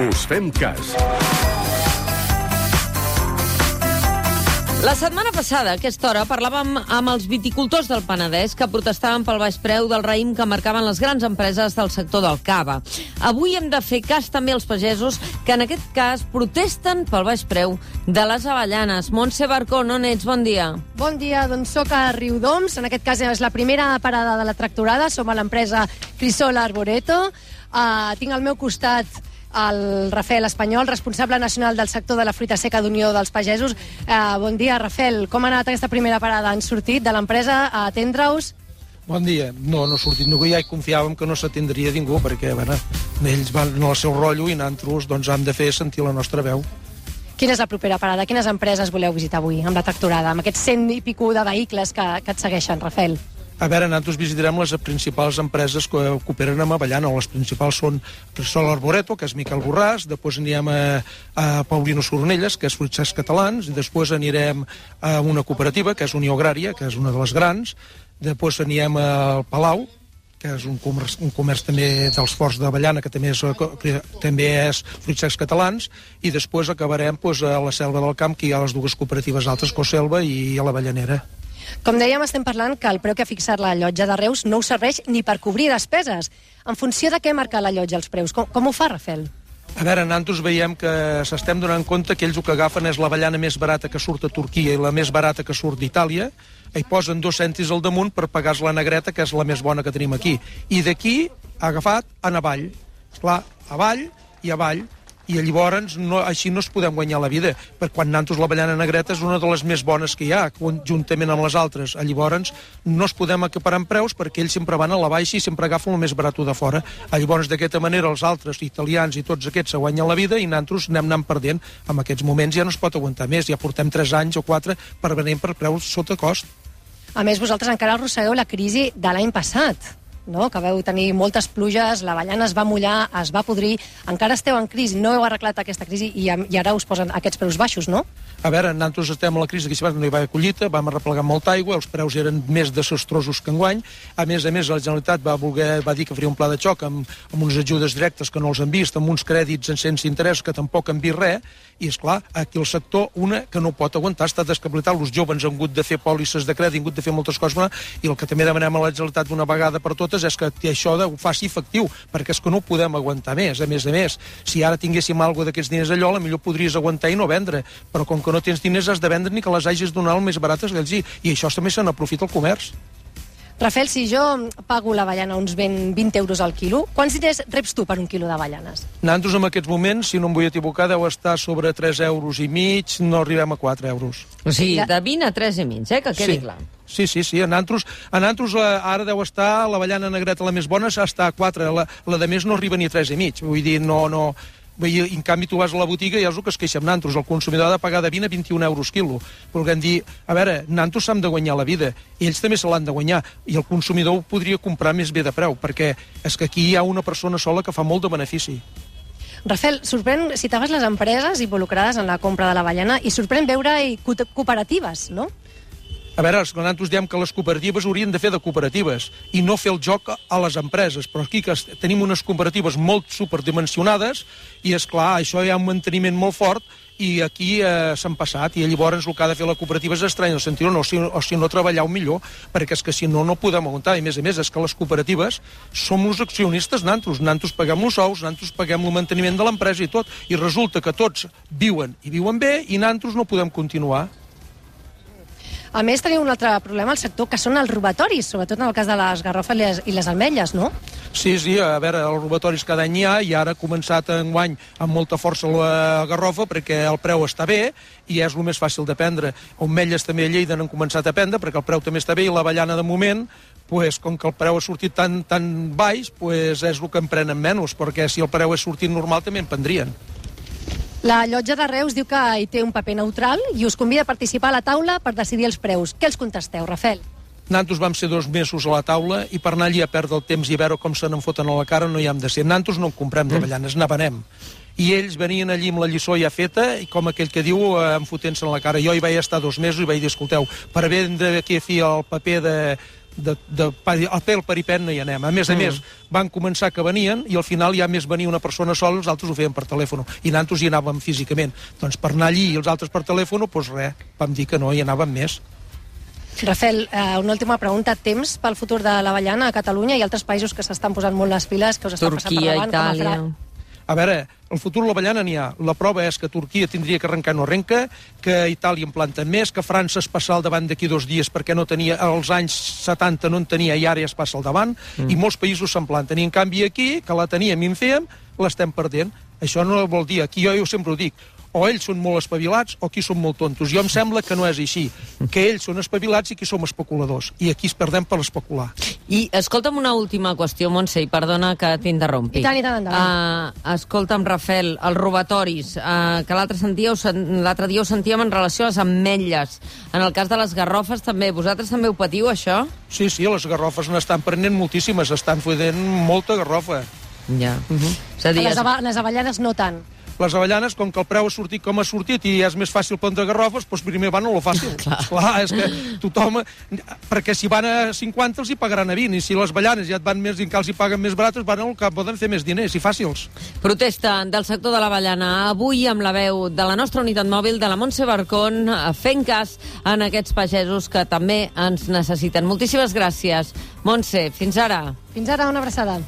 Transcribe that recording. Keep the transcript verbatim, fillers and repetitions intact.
Us fem cas. La setmana passada, a aquesta hora, parlàvem amb els viticultors del Penedès que protestaven pel baix preu del raïm que marcaven les grans empreses del sector del cava. Avui hem de fer cas també als pagesos que en aquest cas protesten pel baix preu de les avellanes. Montse Barcón, on ets? Bon dia. Bon dia, doncs soc a Riudoms. En aquest cas és la primera parada de la tractorada. Som a l'empresa Crisol Arboreto. Uh, tinc al meu costat el Rafael Espanyol, responsable nacional del sector de la fruita seca d'Unió dels Pagesos. Uh, bon dia, Rafael. Com ha anat aquesta primera parada? Han sortit de l'empresa a atendre-us? Bon dia. No, no ha sortit ningú. Ja hi confiàvem que no s'atendria ningú, perquè, bueno, ells van al seu rotllo i nosaltres doncs, hem de fer sentir la nostra veu. Quina és la propera parada? Quines empreses voleu visitar avui amb la tractorada, amb aquests cent i pico de vehicles que, que et segueixen, Rafael? A veure, nosaltres visitarem les principals empreses que operen amb avellana. Les principals són Crisol Arboreto, que és Miquel Borràs, després anirem a, a Paulino Sornelles, que és Fruits Secs Catalans, i després anirem a una cooperativa, que és Unió Agrària, que és una de les grans, després anirem al Palau, que és un comerç, un comerç també dels forts d'avellana, que també és, que també és Fruits Secs Catalans, i després acabarem doncs, a la Selva del Camp, que hi ha les dues cooperatives altres, Coselva i a l'Avellanera. Com dèiem, estem parlant que el preu que ha fixat la llotja de Reus no us serveix ni per cobrir despeses. En funció de què marca la llotja els preus? Com, com ho fa, Rafael? A veure, nosaltres veiem que s'estem donant compte que ells el que agafen és l'avellana més barata que surt a Turquia i la més barata que surt d'Itàlia, i posen dos cèntims al damunt per pagar la negreta, que és la més bona que tenim aquí. I d'aquí ha agafat en avall. Esclar, avall i avall. I llavors no, així no es podem guanyar la vida, perquè quan nosaltres l'avellana negreta és una de les més bones que hi ha, juntament amb les altres. Llavors no es podem acaparar en preus perquè ells sempre van a la baixa i sempre agafen el més barat de fora. Llavors d'aquesta manera els altres, italians i tots aquests, se guanyen la vida i nosaltres anem anant perdent. En aquests moments ja no es pot aguantar més, ja portem tres anys o quatre per venir per preus sota cost. A més, vosaltres encara arrossegueu la crisi de l'any passat, no? Que vau tenir moltes pluges, l'avellana es va mullar, es va podrir, encara esteu en crisi, no heu arreglat aquesta crisi i, i ara us posen aquests preus baixos, no? A veure, nosaltres estem a la crisi, que no hi va haver collita, vam arreplegar molta aigua, els preus eren més desastrosos que enguany. A més a més, la Generalitat va, voler, va dir que faria un pla de xoc amb, amb unes ajudes directes que no els han vist, amb uns crèdits en sense interès que tampoc han vist res, i és clar, aquí el sector, una que no pot aguantar, està descapacitat, els joves han hagut de fer pòlisses de crèdit, han hagut de fer moltes coses, i el que també demanem a la Generalitat d'una vegada per totes és que això ho faci efectiu, perquè és que no ho podem aguantar més. A més a més, si ara tinguéssim alguna d'aquests diners allò, potser podries aguantar i no vendre, però com que no tens diners has de vendre ni que les hagis donat el més barates que ells, i, i això també se n'aprofita el comerç. Rafael, si jo pago l'avellana uns vint euros al quilo, quants diners reps tu per un quilo d'avellanes? Nosaltres en aquests moments, si no em vull equivocar, deu estar sobre tres euros i mig, no arribem a quatre euros. O sigui, de vint a tres i mig, eh, que quedi sí. clar. Sí, sí, sí. A nosaltres, a nosaltres ara deu estar l'avellana negreta la més bona, està a quatre, la, la de més no arriba ni a tres i mig. Vull dir, no... no... Vull dir, en canvi, tu vas a la botiga i és el que es queixa amb nosaltres. El consumidor ha de pagar de vint a vint-i-un euros quilo. Volguem dir, a veure, nosaltres s'han de guanyar la vida, i ells també se l'han de guanyar, i el consumidor ho podria comprar més bé de preu, perquè és que aquí hi ha una persona sola que fa molt de benefici. Rafael, sorprèn, citaves les empreses involucrades en la compra de l'avellana i sorprèn veure-hi cooperatives, no? A veure, nosaltres diem que les cooperatives haurien de fer de cooperatives i no fer el joc a les empreses, però aquí que tenim unes cooperatives molt superdimensionades i, és clar, això hi ha un manteniment molt fort i aquí eh, s'han passat, i llavors el que ha de fer la cooperativa és estrany, en el sentit no, o si, o si no treballar millor, perquè és que si no, no podem aguantar, i a més a més és que les cooperatives som els accionistes nosaltres, nosaltres paguem els sous, nosaltres paguem el manteniment de l'empresa i tot, i resulta que tots viuen i viuen bé i nosaltres no podem continuar. A més, tenim un altre problema al sector, que són els robatoris, sobretot en el cas de les garrofes i les, i les ametlles, no? Sí, sí, a veure, els robatoris cada any hi ha, i ara ha començat enguany amb molta força la garrofa, perquè el preu està bé, i és el més fàcil de prendre. Ametlles també a Lleida n'han començat a prendre, perquè el preu també està bé, i l'avellana de moment, pues, com que el preu ha sortit tan, tan baix, pues, és el que en prenen menys, perquè si el preu és sortit normal també en prendrien. La llotja de Reus diu que hi té un paper neutral i us convida a participar a la taula per decidir els preus. Què els contesteu, Rafael? Nosaltres vam ser dos mesos a la taula i per anar allí a perdre el temps i a veure com se n'en foten a la cara no hi hem de ser. Nosaltres no en comprem d'avellanes, n'avenem. I ells venien allí amb la lliçó ja feta i com aquell que diu, em fotent-se en la cara. Jo hi vaig estar dos mesos i vaig dir, escolteu, per vendre aquí a fi el paper de, de, de, de a pel peripet no hi anem. A més a mm. més, van començar que venien i al final ja més venia una persona sola, els altres ho feien per telèfon. I nosaltres hi anàvem físicament. Doncs per anar allí i els altres per telèfon, doncs res, vam dir que no, hi anàvem més. Rafael, eh, una última pregunta. Temps pel futur de l'avellana a Catalunya i altres països que s'estan posant molt les piles, que us estan Turquia, passant per davant? Itàlia... A veure, el futur de l'avellana n'hi ha. La prova és que Turquia tindria que arrencar, no arrenca, que Itàlia en planta més, que França es passa al davant d'aquí dos dies perquè no tenia, als anys setanta no en tenia i ara ja es passa al davant, mm. i molts països se'n planten. I en canvi aquí, que la teníem i en fèiem, l'estem perdent. Això no vol dir, aquí jo, jo sempre ho dic, o ells són molt espavilats o aquí són molt tontos. Jo em sembla que no és així, que ells són espavilats i aquí som especuladors, i aquí es perdem per especular. I escolta'm una última qüestió, Montse, i perdona que t'interrompi. I tant, i tant, endavant. Uh, escolta'm, Rafael, els robatoris, uh, que l'altre dia, l'altre dia ho sentíem en relació a les ametlles. En el cas de les garrofes també, vosaltres també ho patiu, això? Sí, sí, les garrofes n'estan prenent moltíssimes, estan fotent molta garrofa. Ja. Uh -huh. És a dir, les, ava les avellanes no tant. Les avellanes, com que el preu ha sortit com ha sortit i és més fàcil prendre garrofes, doncs primer van a lo fàcil. Clar. Clar, és que tothom... Perquè si van a cinquanta els hi pagaran a vint, i si les avellanes ja et van més i encara els hi paguen més barates, van al que poden fer més diners i fàcils. Protesta del sector de l'avellana. Avui amb la veu de la nostra unitat mòbil, de la Montse Barcón, fent cas en aquests pagesos que també ens necessiten. Moltíssimes gràcies. Montse, fins ara. Fins ara, una abraçada.